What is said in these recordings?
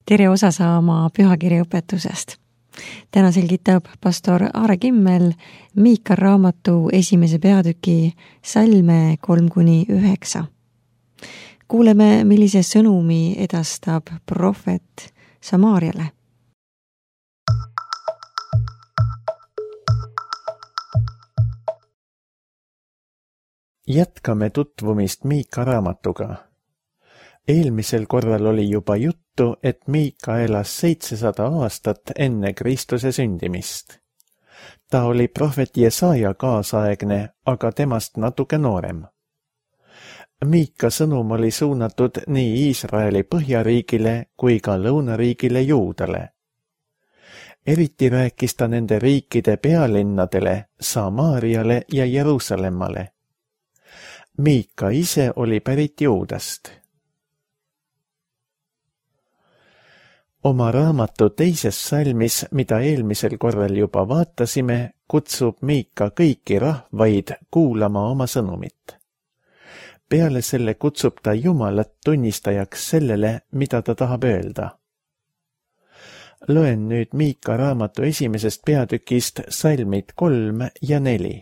tere osa saama pühakirjaõpetusest. Täna selgitab pastor Aare Kimmel Miika raamatu 1. peatüki salme 3-9. Kuuleme, millise sõnumi edastab prohvet Samaariale. Jätkame tutvumist Miika raamatuga. Eelmisel korral oli juba juttu, et Miika elas 700 aastat enne Kristuse sündimist. Ta oli prohvet Jesaja kaasaegne, aga temast natuke noorem. Miika sõnum oli suunatud nii Iisraeli põhjariigile kui ka lõunariigile Juudale. Eriti rääkis ta nende riikide pealinnadele, Samaariale ja Jeruusalemmale. Miika ise oli pärit Juudast. Oma raamatu teises salmis, mida eelmisel korral juba vaatasime, kutsub Miika kõiki rahvaid kuulama oma sõnumit. Peale selle kutsub ta Jumalat tunnistajaks sellele, mida ta tahab öelda. Loen nüüd Miika raamatu 1. peatükist salmid 3 ja 4.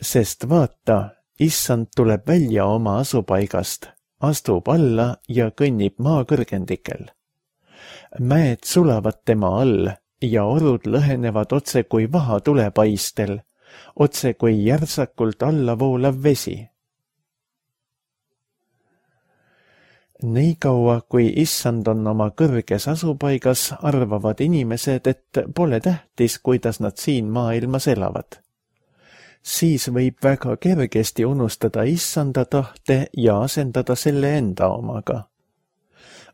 Sest vaata, issand tuleb välja oma asupaigast, astub alla ja kõnnib maa kõrgendikel. Mäed sulavad tema all ja orud lõhenevad otse kui vaha tulepaistel, otse kui järsakult alla voolav vesi. Nii kaua, kui issand on oma kõrges asupaigas, arvavad inimesed, et pole tähtis, kuidas nad siin maailmas elavad. Siis võib väga kergesti unustada issanda tahte ja asendada selle enda omaga.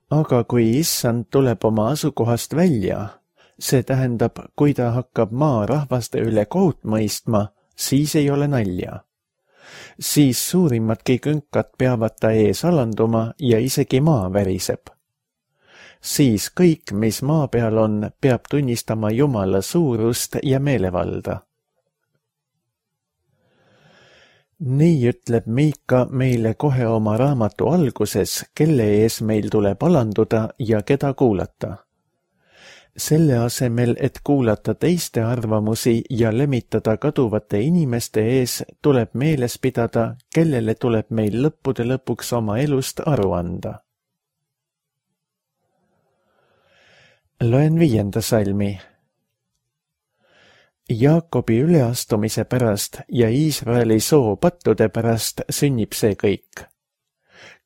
Aga kui issand tuleb oma asukohast välja, see tähendab, kui ta hakkab maa rahvaste üle kohut mõistma, siis ei ole nalja. Siis suurimadki künkad peavad ta ees alanduma ja isegi maa väriseb. Siis kõik, mis maa peal on, peab tunnistama Jumala suurust ja meelevalda. Nii ütleb Miika meile kohe oma raamatu alguses, kelle ees meil tuleb alanduda ja keda kuulata. Selle asemel, et kuulata teiste arvamusi ja lemitada kaduvate inimeste ees, tuleb meeles pidada, kellele tuleb meil lõppude lõpuks oma elust aru anda. Loen 5. salmi. Jaakobi üleastumise pärast ja Iisraeli soopattude pärast sünnib see kõik.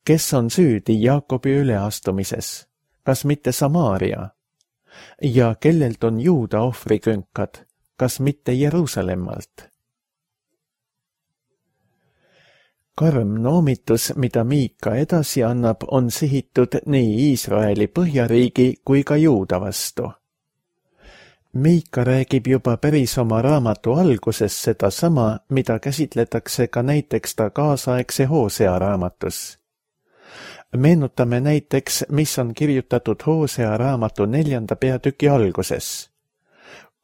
Kes on süüdi Jaakobi üleastumises? Kas mitte Samaaria? Ja kellelt on Juuda ohvrikünkad? Kas mitte Jeruusalemmalt? Karm noomitus, mida Miika edasi annab, on sihitud nii Iisraeli põhjariigi kui ka Juuda vastu. Miika räägib juba päris oma raamatu alguses seda sama, mida käsitletakse ka näiteks ta kaasaegse Hoosea raamatus. Meenutame näiteks, mis on kirjutatud Hoosea raamatu 4. peatüki alguses.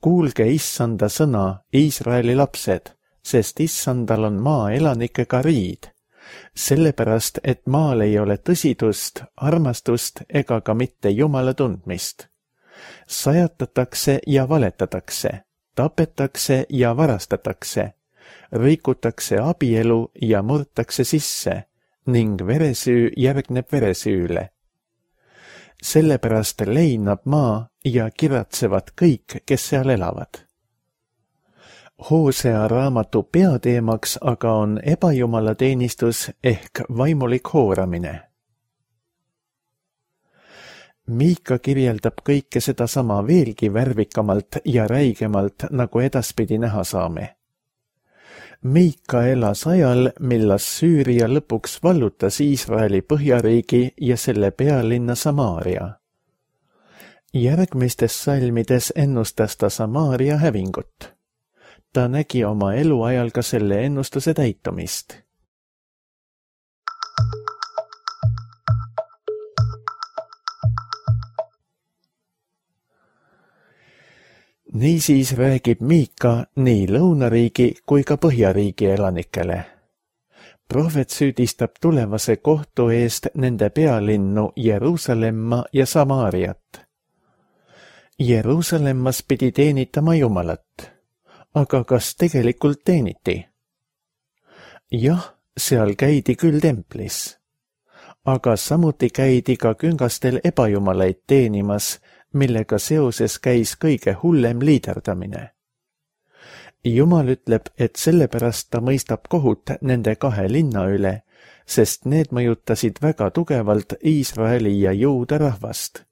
Kuulge issanda sõna, Iisraeli lapsed, sest issandal on maa elanikega riid, sellepärast, et maal ei ole tõsidust, armastust ega ka mitte Jumala tundmist. Sajatatakse ja valetatakse, tapetakse ja varastatakse, rikutakse abielu ja murtakse sisse ning veresüü järgneb veresüüüle. Sellepärast leinab maa ja kiratsevad kõik, kes seal elavad. Hoosea raamatu peateemaks aga on ebajumalateenistus ehk vaimulik hooramine. Miika kirjeldab kõike sedasama veelgi värvikamalt ja räigemalt, nagu edaspidi näha saame. Miika elas ajal, millas Süüria lõpuks vallutas Iisraeli põhjariigi ja selle pealinna Samaaria. Järgmistes salmides ennustas ta Samaaria hävingut. Ta nägi oma eluajal ka selle ennustuse täitumist. Niisiis räägib Miika nii lõunariigi kui ka põhjariigi elanikele. Prohvet süüdistab tulevase kohtu eest nende pealinnu Jeruusalemma ja Samaariat. Jeruusalemmas pidi teenitama Jumalat, aga kas tegelikult teeniti? Jah, seal käidi küll templis, aga samuti käidi ka küngastel ebajumalaid teenimas, millega seoses käis kõige hullem liiderdamine. Jumal ütleb, et sellepärast ta mõistab kohut nende 2 linna üle, sest need mõjutasid väga tugevalt Iisraeli ja Juuda rahvast.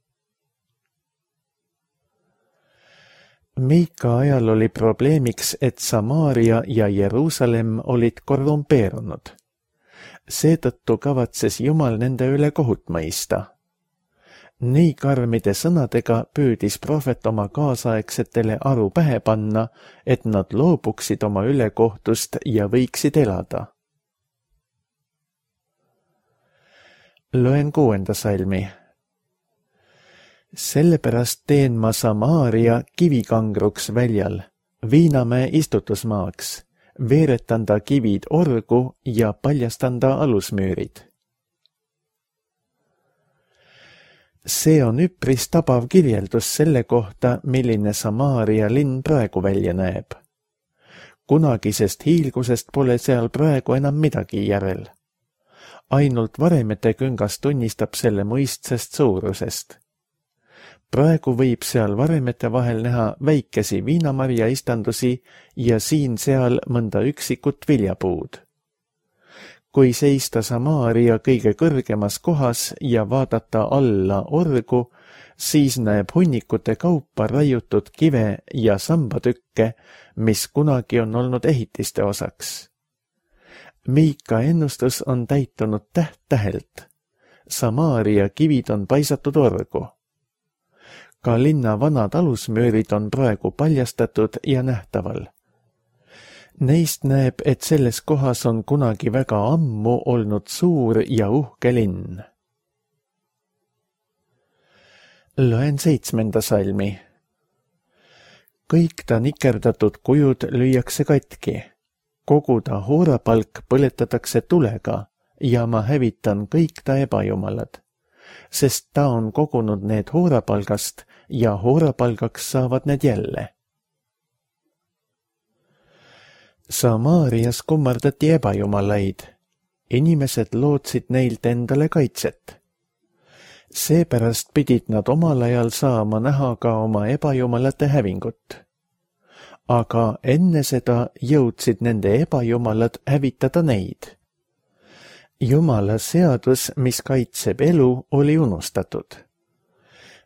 Miika ajal oli probleemiks, et Samaaria ja Jeruusalemm olid korrumpeerunud. Seetõttu kavatses Jumal nende üle kohut mõista. Nii karmide sõnadega püüdis prohvet oma kaasaegsetele aru pähe panna, et nad loobuksid oma ülekohtust ja võiksid elada. Loen 6. salmi. Sellepärast teen ma Samaaria kivikangruks väljal, Viinamäe istutusmaaks, veeretan ta kivid orgu ja paljastan ta alusmüürid. See on üpris tabav kirjeldus selle kohta, milline Samaaria linn praegu välja näeb. Kunagisest hiilgusest pole seal praegu enam midagi järel. Ainult varemete küngas tunnistab selle mõistsest suurusest. Praegu võib seal varemete vahel näha väikesi viinamarja istandusi ja siin-seal mõnda üksikut viljapuud. Kui seista Samaaria kõige kõrgemas kohas ja vaadata alla orgu, siis näeb hunnikute kaupa raiutud kive ja sambatükke, mis kunagi on olnud ehitiste osaks. Miika ennustus on täitunud täht-tähelt. Samaaria kivid on paisatud orgu. Ka linna vanad alusmüürid on praegu paljastatud ja nähtaval. Neist näeb, et selles kohas on kunagi väga ammu olnud suur ja uhke linn. Loen 7. salmi. Kõik ta nikerdatud kujud lüüakse katki. Kogu ta hoorapalk põletatakse tulega ja ma hävitan kõik ta ebajumalad, sest ta on kogunud need hoorapalgast ja hoorapalgaks saavad need jälle. Samaarias kummardati ebajumalaid. Inimesed lootsid neilt endale kaitset. Seepärast pidid nad omal ajal saama näha ka oma ebajumalate hävingut. Aga enne seda jõudsid nende ebajumalad hävitada neid. Jumala seadus, mis kaitseb elu, oli unustatud.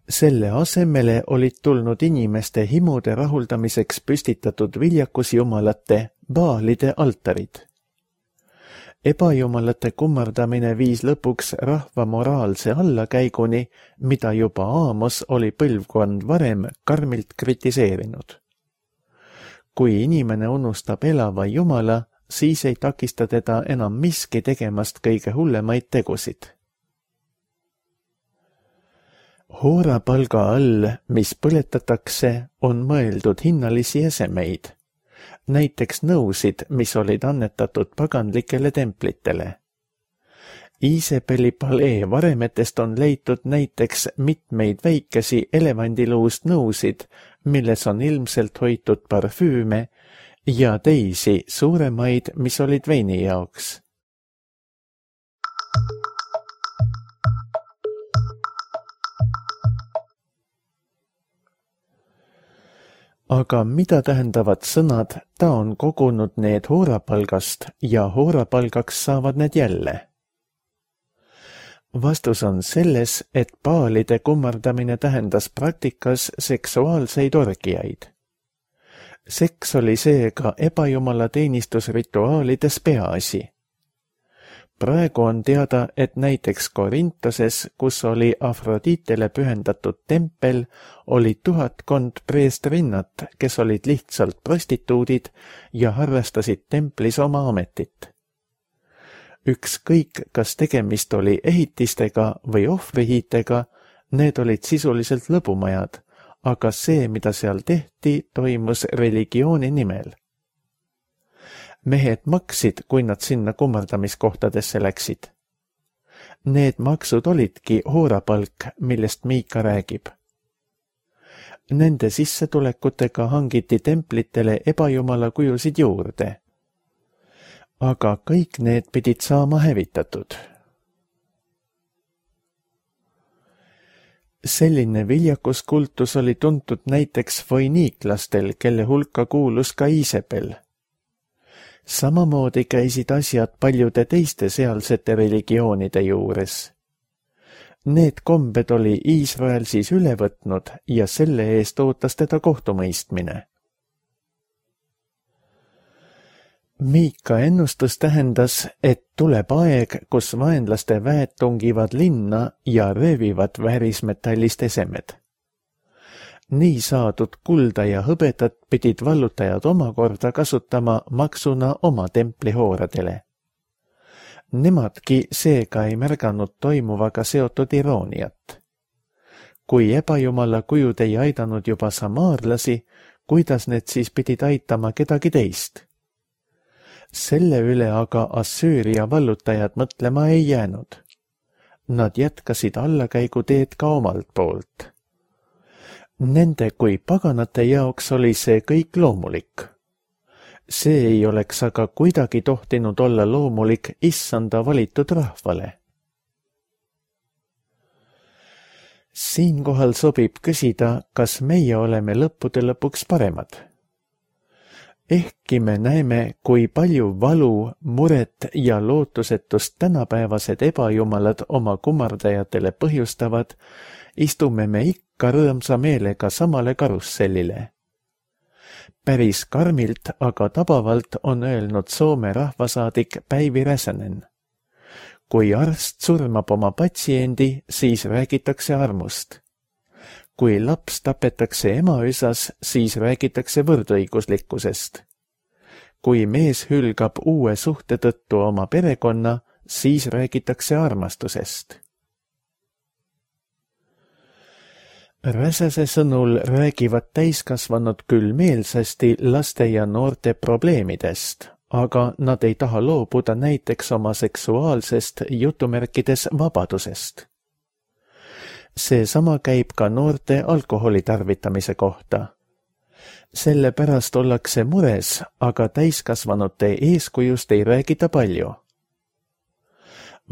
Selle asemele olid tulnud inimeste himude rahuldamiseks püstitatud viljakusjumalate, baalide altarid. Ebajumalate kummardamine viis lõpuks rahva moraalse allakäiguni, mida juba Aamos oli põlvkond varem karmilt kritiseerinud. Kui inimene unustab elava Jumala, siis ei takista teda enam miski tegemast kõige hullemaid tegusid. Hoorapalga all, mis põletatakse, on mõeldud hinnalisi esemeid, näiteks nõusid, mis olid annetatud paganlikele templitele. Iisebeli palee varemetest on leitud näiteks mitmeid väikesi elevandiluust nõusid, milles on ilmselt hoitud parfüüme ja teisi suuremaid, mis olid veini jaoks. Aga mida tähendavad sõnad, ta on kogunud need hoorapalgast ja hoorapalgaks saavad need jälle? Vastus on selles, et baalide kummardamine tähendas praktikas seksuaalseid orgiaid. Seks oli seega ebajumala teenistusrituaalides peaasi. Praegu on teada, et näiteks Korintoses, kus oli Afroditele pühendatud tempel, oli 1000 preestrinnat, kes olid lihtsalt prostituudid ja harrastasid templis oma ametit. Ükskõik, kas tegemist oli ehitistega või ohvrihiitega, need olid sisuliselt lõbumajad, aga see, mida seal tehti, toimus religiooni nimel. Mehed maksid, kui nad sinna kummardamiskohtadesse läksid. Need maksud olidki hoorapalk, millest Miika räägib. Nende sissetulekutega hangiti templitele ebajumala kujusid juurde. Aga kõik need pidid saama hävitatud. Selline viljakuskultus oli tuntud näiteks foiniiklastel, kelle hulka kuulus ka Iisabel. Samamoodi käisid asjad paljude teiste sealsete religioonide juures. Need kombed oli Iisrael siis üle võtnud ja selle eest ootas teda kohtumõistmine. Miika ennustus tähendas, et tuleb aeg, kus vaenlaste väed tungivad linna ja röövivad väärismetallist esemed. Nii saadud kulda ja hõbedat pidid vallutajad omakorda kasutama maksuna oma templihooradele. Nemadki seega ei märganud toimuvaga seotud irooniat. Kui ebajumala kujud ei aidanud juba samaarlasi, kuidas need siis pidid aitama kedagi teist? Selle üle aga Assüüria vallutajad mõtlema ei jäänud. Nad jätkasid allakäiguteed ka omalt poolt. Nende kui paganate jaoks oli see kõik loomulik. See ei oleks aga kuidagi tohtinud olla loomulik issanda valitud rahvale. Siinkohal sobib küsida, kas meie oleme lõppude lõpuks paremad. Ehkki me näeme, kui palju valu, muret ja lootusetust tänapäevased ebajumalad oma kummardajatele põhjustavad, istume me ikka rõõmsa meelega samale karussellile. Päris karmilt, aga tabavalt on öelnud Soome rahvasaadik Päivi Räsänen. Kui arst surmab oma patsiendi, siis räägitakse armust. Kui laps tapetakse emaüsas, siis räägitakse võrdõiguslikkusest. Kui mees hülgab uue suhte tõttu oma perekonna, siis räägitakse armastusest. Räsäse sõnul räägivad täiskasvanud küll meelsasti laste ja noorte probleemidest, aga nad ei taha loobuda näiteks oma seksuaalsest jutumärkides vabadusest. Seesama käib ka noorte alkoholi tarvitamise kohta. Sellepärast ollakse mures, aga täiskasvanute eeskujust ei räägita palju.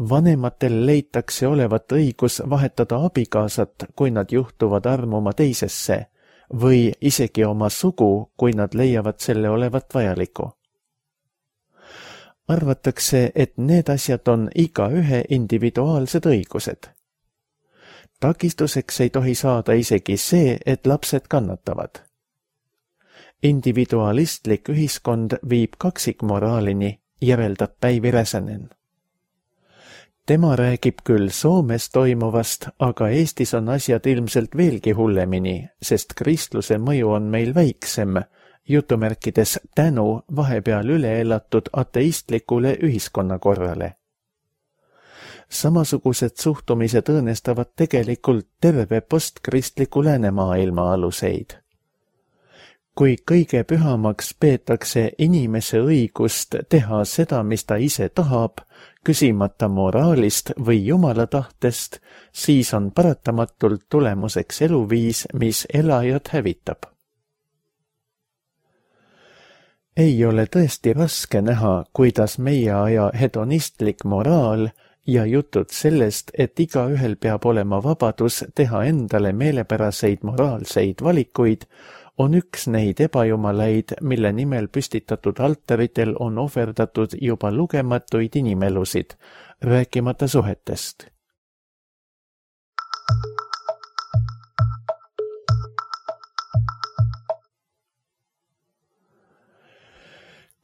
Vanematel leitakse olevat õigus vahetada abikaasat, kui nad juhtuvad armuma teisesse, või isegi oma sugu, kui nad leiavad selle olevat vajaliku. Arvatakse, et need asjad on igaühe individuaalsed õigused. Takistuseks ei tohi saada isegi see, et lapsed kannatavad. Individualistlik ühiskond viib kaksikmoraalini, järeldab Päivi Räsänen. Tema räägib küll Soomes toimuvast, aga Eestis on asjad ilmselt veelgi hullemini, sest kristluse mõju on meil väiksem, jutumärkides tänu vahepeal üle elatud ateistlikule ühiskonnakorrale. Samasugused suhtumised õõnestavad tegelikult terve postkristliku läänemaailma aluseid. Kui kõige pühamaks peetakse inimese õigust teha seda, mis ta ise tahab, küsimata moraalist või jumala tahtest, siis on paratamatult tulemuseks eluviis, mis elajad hävitab. Ei ole tõesti raske näha, kuidas meie aja hedonistlik moraal ja jutud sellest, et igaühel peab olema vabadus teha endale meelepäraseid moraalseid valikuid, on üks neid ebajumalaid, mille nimel püstitatud altaritel on ohverdatud juba lugematuid inimelusid, rääkimata suhetest.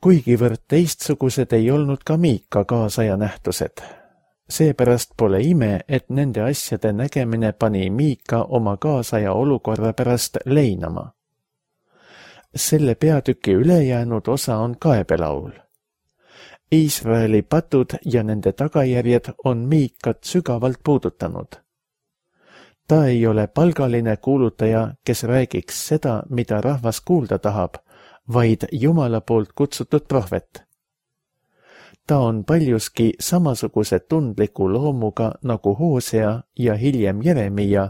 Kuigivõrd teistsugused ei olnud ka Miika kaasaja nähtused. Seepärast pole ime, et nende asjade nägemine pani Miika oma kaasaja olukorra pärast leinama. Selle peatüki ülejäänud osa on kaebelaul. Iisraeli patud ja nende tagajärjed on Miikat sügavalt puudutanud. Ta ei ole palgaline kuulutaja, kes räägiks seda, mida rahvas kuulda tahab, vaid Jumala poolt kutsutud prohvet. ta on paljuski samasuguse tundliku loomuga nagu Hoosea ja hiljem Jeremia,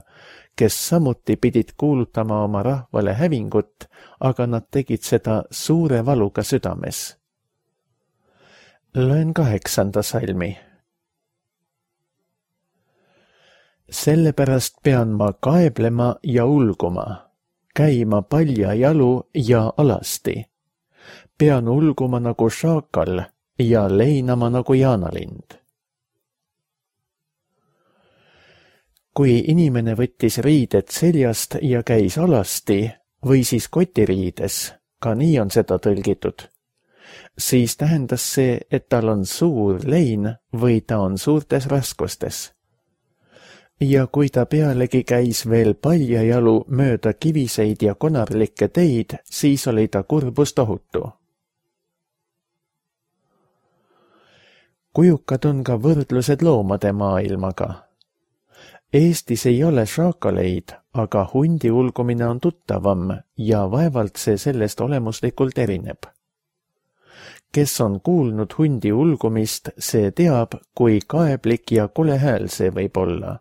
kes samuti pidid kuulutama oma rahvale hävingut, aga nad tegid seda suure valuga südames. Loen 8. salmi. Sellepärast pean ma kaeblema ja ulguma, käima paljajalu ja alasti. Pean ulguma nagu šaakal ja leinama nagu jaanalind. Kui inimene võttis riided seljast ja käis alasti või siis kotiriides, ka nii on seda tõlgitud, siis tähendas see, et tal on suur lein või ta on suurtes raskustes. Ja kui ta pealegi käis veel paljajalu mööda kiviseid ja konarlikke teid, siis oli ta kurbus tohutu. Kujukad on ka võrdlused loomade maailmaga. Eestis ei ole šaakaleid, aga hundi ulgumine on tuttavam ja vaevalt see sellest olemuslikult erineb. Kes on kuulnud hundi ulgumist, see teab, kui kaeblik ja kole hääl see võib olla.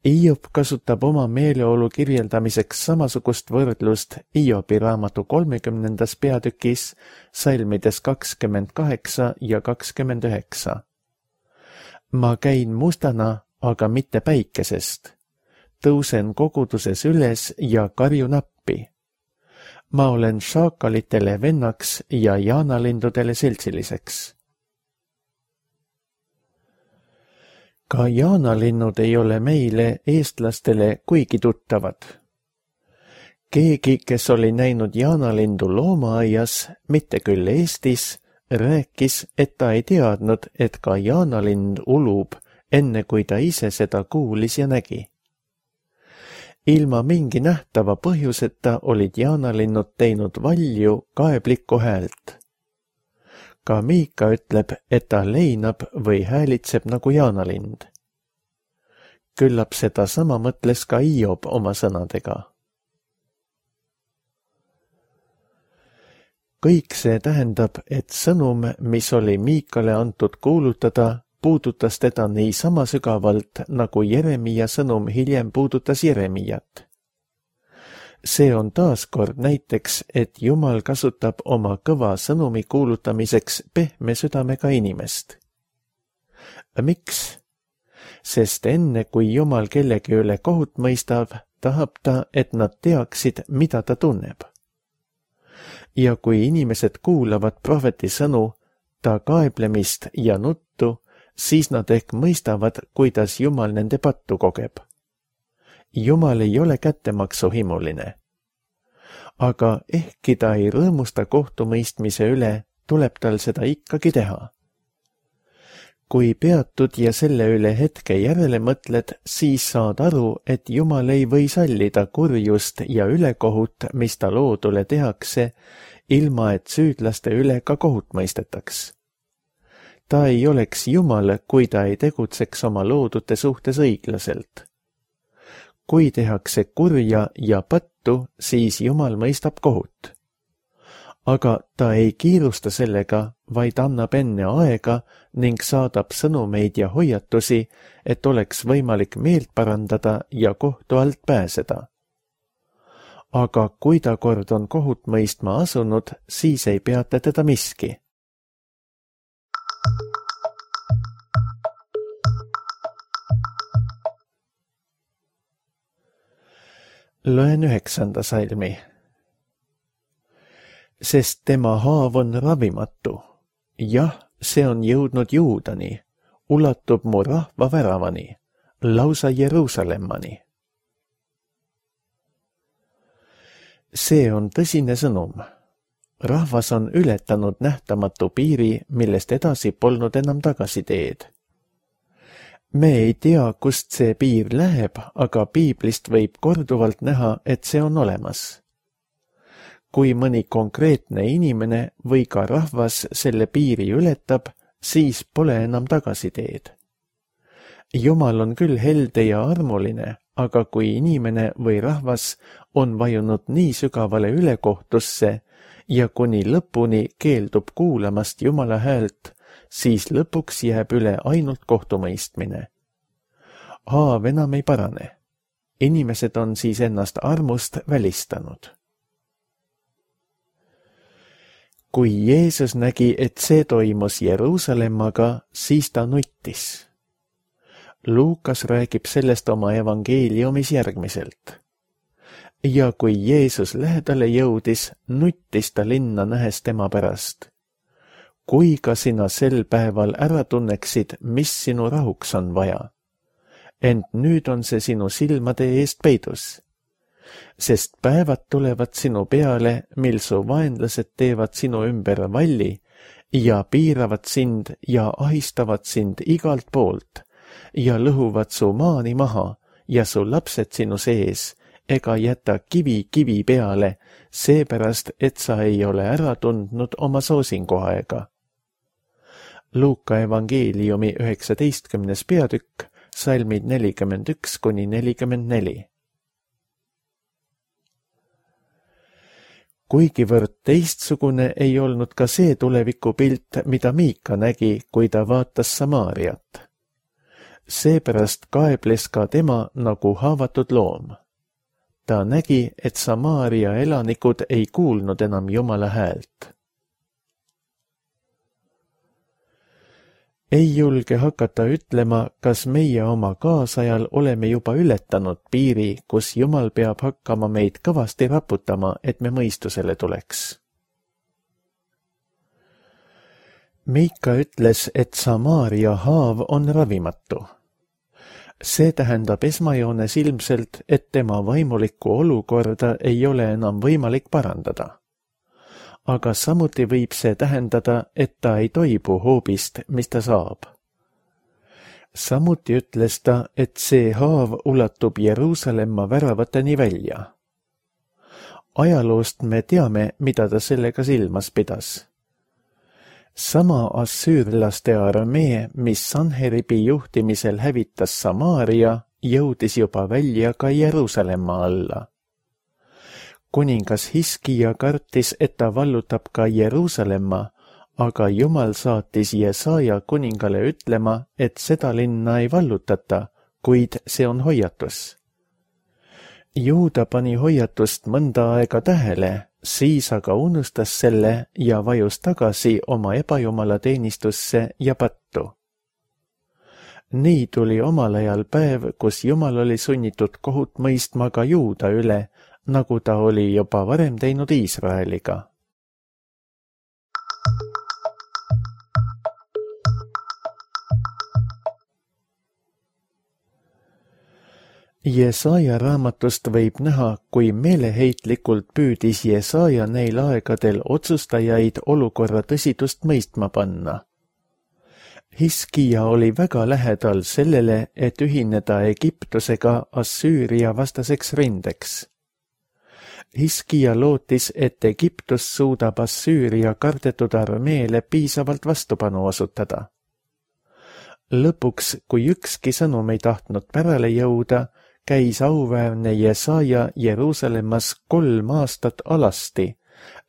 Hiob kasutab oma meeleolu kirjeldamiseks samasugust võrdlust Hiobi raamatu 30. peatükis, salmides 28 ja 29. Ma käin mustana, aga mitte päikesest. Tõusen koguduses üles ja karjun appi. Ma olen šaakalitele vennaks ja jaanalindudele seltsiliseks. Ka jaanalinnud ei ole meile, eestlastele, kuigi tuttavad. Keegi, kes oli näinud jaanalindu loomaaias, mitte küll Eestis, rääkis, et ta ei teadnud, et ka jaanalind ulub, enne kui ta ise seda kuulis ja nägi. Ilma mingi nähtava põhjuseta olid jaanalinnud teinud valju kaeblikku häält. Ka Miika ütleb, et ta leinab või häälitseb nagu jaanalind. Küllap seda sama mõtles ka Hiob oma sõnadega. Kõik see tähendab, et sõnum, mis oli Miikale antud kuulutada, puudutas teda nii sama sügavalt, nagu Jeremia sõnum hiljem puudutas Jeremiat. See on taaskord näiteks, et Jumal kasutab oma kõva sõnumi kuulutamiseks pehme südamega inimest. Miks? Sest enne, kui Jumal kellegi üle kohut mõistab, tahab ta, et nad teaksid, mida ta tunneb. Ja kui inimesed kuulavad prohveti sõnu, ta kaeblemist ja nuttu, siis nad ehk mõistavad, kuidas Jumal nende pattu kogeb. Jumal ei ole kättemaksuhimuline. Aga ehkki ta ei rõõmusta kohtumõistmise üle, tuleb tal seda ikkagi teha. Kui peatud ja selle üle hetke järele mõtled, siis saad aru, et Jumal ei või sallida kurjust ja ülekohut, mis ta loodule tehakse, ilma et süüdlaste üle ka kohut mõistetaks. Ta ei oleks Jumal, kui ta ei tegutseks oma loodute suhtes õiglaselt. Kui tehakse kurja ja pattu, siis Jumal mõistab kohut. Aga ta ei kiirusta sellega, vaid annab enne aega ning saadab sõnumeid ja hoiatusi, et oleks võimalik meelt parandada ja kohtu alt pääseda. Aga kui ta kord on kohut mõistma asunud, siis ei peata teda miski. Loen 9. salmi. Sest tema haav on ravimatu. Jah, see on jõudnud Juudani, ulatub mu rahva väravani, lausa Jeruusalemmani. See on tõsine sõnum. Rahvas on ületanud nähtamatu piiri, millest edasi polnud enam tagasiteed. Me ei tea, kust see piir läheb, aga piiblist võib korduvalt näha, et see on olemas. Kui mõni konkreetne inimene või ka rahvas selle piiri ületab, siis pole enam tagasiteed. Jumal on küll helde ja armuline, aga kui inimene või rahvas on vajunud nii sügavale ülekohtusse ja kuni lõpuni keeldub kuulamast Jumala häält, siis lõpuks jääb üle ainult kohtumõistmine. Haav enam ei parane. Inimesed on siis ennast armust välistanud. Kui Jeesus nägi, et see toimus Jeruusalemmaga, siis ta nuttis. Luukas räägib sellest oma evangeeliumis järgmiselt. Ja kui Jeesus lähedale jõudis, nuttis ta linna nähes tema pärast. Kui ka sina sel päeval ära tunneksid, mis sinu rahuks on vaja. Ent nüüd on see sinu silmade eest peidus. Sest päevad tulevad sinu peale, mil su vaenlased teevad sinu ümber valli ja piiravad sind ja ahistavad sind igalt poolt ja lõhuvad su maani maha ja su lapsed sinu sees ega jäta kivi peale, seepärast, et sa ei ole ära tundnud oma soosinguaega. Luuka evangeeliumi 19. peatükk, salmid 41–44. Kuigivõrd teistsugune ei olnud ka see tulevikupilt, mida Miika nägi, kui ta vaatas Samaariat. Seepärast kaebles ka tema nagu haavatud loom. Ta nägi, et Samaaria elanikud ei kuulnud enam Jumala häält. Ei julge hakata ütlema, kas meie oma kaasajal oleme juba ületanud piiri, kus Jumal peab hakkama meid kõvasti raputama, et me mõistusele tuleks. Miika ütles, et Samaaria haav on ravimatu. See tähendab esmajoones ilmselt, et tema vaimulikku olukorda ei ole enam võimalik parandada. Aga samuti võib see tähendada, et ta ei toibu hoobist, mis ta saab. Samuti ütles ta, et see haav ulatub Jeruusalemma väravateni välja. Ajaloost me teame, mida ta sellega silmas pidas. Sama assüürlaste armee, mis Sanheribi juhtimisel hävitas Samaaria, jõudis juba välja ka Jeruusalemma alla. Kuningas Hiskija kartis, et ta vallutab ka Jeruusalemma, aga Jumal saatis Jesaja kuningale ütlema, et seda linna ei vallutata, kuid see on hoiatus. Juuda pani hoiatust mõnda aega tähele, siis aga unustas selle ja vajus tagasi oma ebajumala teenistusse ja pattu. Nii tuli omal ajal päev, kus Jumal oli sunnitud kohut mõistma ka Juuda üle, nagu ta oli juba varem teinud Iisraeliga. Jesaja raamatust võib näha, kui meeleheitlikult püüdis Jesaja neil aegadel otsustajaid olukorra tõsidust mõistma panna. Hiskija oli väga lähedal sellele, et ühineda Egiptusega Assüüria vastaseks rindeks. Hiskija lootis, et Egiptus suudab Assüüria kardetud armeele piisavalt vastupanu osutada. Lõpuks, kui ükski sõnum ei tahtnud pärale jõuda, käis auväärne Jesaja Jeruusalemmas 3 aastat alasti,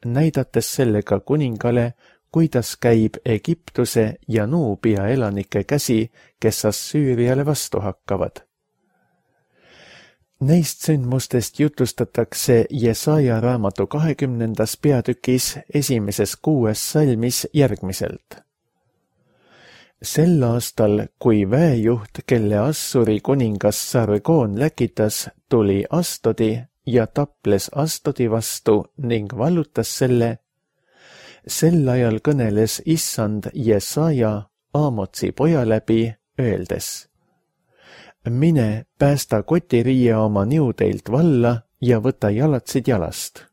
näidates sellega kuningale, kuidas käib Egiptuse ja Nuubia elanike käsi, kes Assüüriale vastu hakkavad. Neist sündmustest jutustatakse Jesaja raamatu 20. peatükis 1. 6. salmis järgmiselt. Sel aastal, kui väejuht, kelle Assuri kuningas Sargon läkitas, tuli Astodi ja taples Astodi vastu ning vallutas selle, sel ajal kõneles Issand Jesaja Aamotsi poja läbi, öeldes: mine, päästa kotiriie oma niudeilt valla ja võta jalatsid jalast.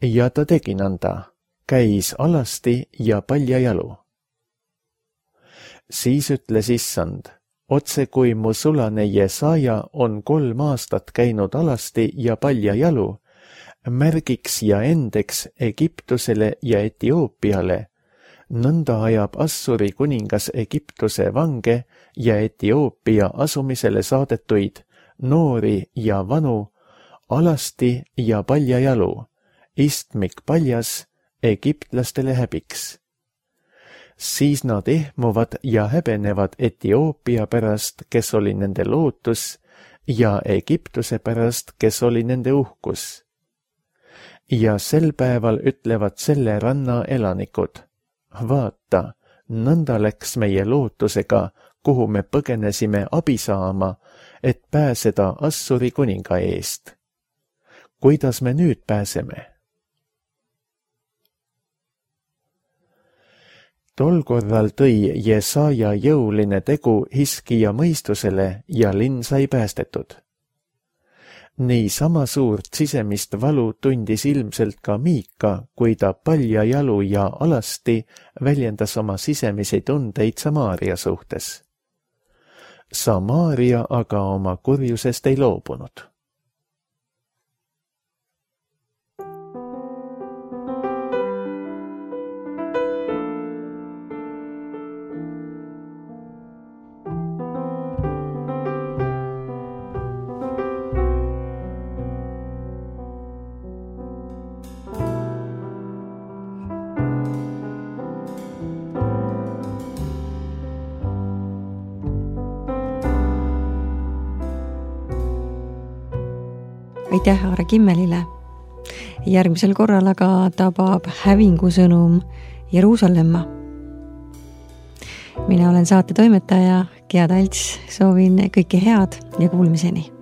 Ja ta tegi nõnda, käis alasti ja paljajalu. Siis ütles Issand: otse kui mu sulane Jesaja on 3 aastat käinud alasti ja paljajalu, märgiks ja endeks Egiptusele ja Etioopiale, nõnda ajab Assuri kuningas Egiptuse vange ja Etioopia asumisele saadetuid, noori ja vanu, alasti ja paljajalu, istmik paljas, egiptlastele häbiks. Siis nad ehmuvad ja häbenevad Etioopia pärast, kes oli nende lootus, ja Egiptuse pärast, kes oli nende uhkus. Ja sel päeval ütlevad selle ranna elanikud, vaata, nõnda läks meie lootusega, kuhu me põgenesime abi saama, et pääseda Assuri kuninga eest. Kuidas me nüüd pääseme? Tol korral tõi Jesaja jõuline tegu Hiskija mõistusele ja linn sai päästetud. Nii sama suurt sisemist valu tundis ilmselt ka Miika, kui ta paljajalu ja alasti väljendas oma sisemisi tundeid Samaaria suhtes. Samaaria aga oma kurjusest ei loobunud. Aitäh Aare Kimmelile. Järgmisel korral aga tabab hävingusõnum Jeruusalemma. Mina olen saate toimetaja Gea Talts, soovin kõike head ja kuulmiseni.